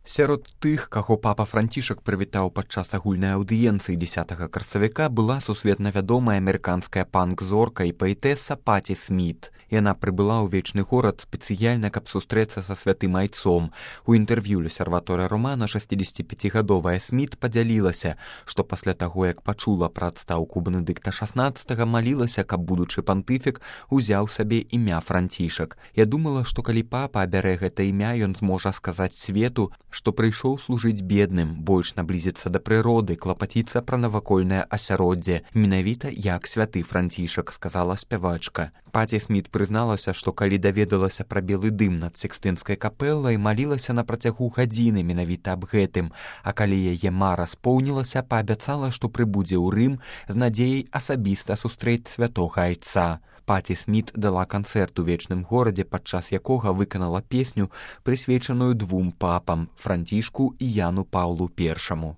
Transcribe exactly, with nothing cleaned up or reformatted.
Сярод тых, каго папа Францішак прывітаў падчас агульнай аўдыенцыі дзесятага красавіка, была сусветна вядомая амерыканская панк-зорка і паэтэса Паці Сміт. Яна прыбыла ў вечны горад спецыяльна, каб сустрэцца са святым айцом. У інтэрв'ю «Лесерваторыя Романа» шэсцідзесяціпяцігадовая Сміт падзялілася, што пасля таго, як пачула пра адстаўку Бенедыкта шаснаццатага, малілася, каб будучы пантыфік узяў сабе імя Францішак. Я думала, што калі папа абярэ гэта імя, ён зможа сказаць свету, што прыйшоў служыць бедным, больш наблізіцца да прыроды, клапаціцца пра навакольнае асяроддзе, менавіта як святы Францішак, сказала спявачка. Паці Сміт прызналася, што калі даведалася пра белы дым над Сікстынскай капэлай, малілася на працягу гадзіны менавіта аб гэтым, а калі яе мара споўнілася, паабяцала, што прыбудзе ў Рым з надзеяй асабіста сустрэць святога айца. Паці Сміт дала канцэрт у вечным горадзе, падчас якога выканала песню, прысвечаную двум папам – Францішку і Яну Паўлу Першаму.